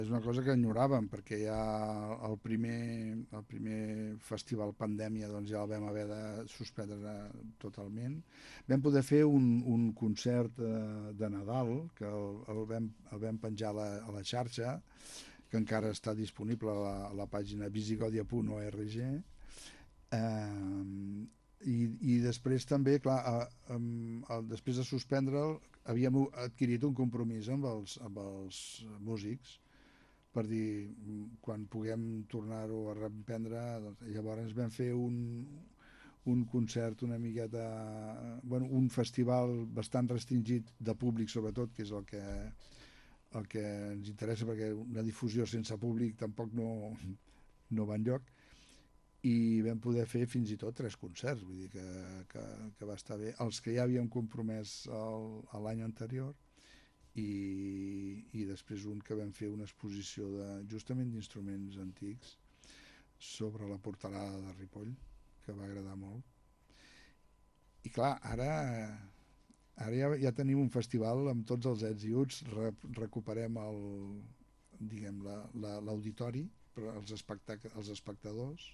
És una cosa que enyoràvem, perquè ja el primer festival pandèmia doncs ja el vam haver de suspendre totalment. Vam poder fer un concert de Nadal, que el vam penjar a la xarxa, que encara està disponible a la pàgina visigodia.org. I després també, clar, després de suspendre'l, havíem adquirit un compromís amb els músics per dir, quan puguem tornar-ho a reprendre, doncs, llavors vam fer un concert una miqueta, bueno, un festival bastant restringit de públic sobretot, que és el que ens interessa, perquè una difusió sense públic tampoc no va enlloc, i vam poder fer fins i tot 3 concerts, vull dir que va estar bé, els que ja havíem compromès l'any anterior, i després un que vam fer una exposició justament d'instruments antics sobre la portalada de Ripoll, que va agradar molt. I clar, ara ja tenim un festival amb tots els ets i uts, recuperem diguem, l'auditori per als espectadors,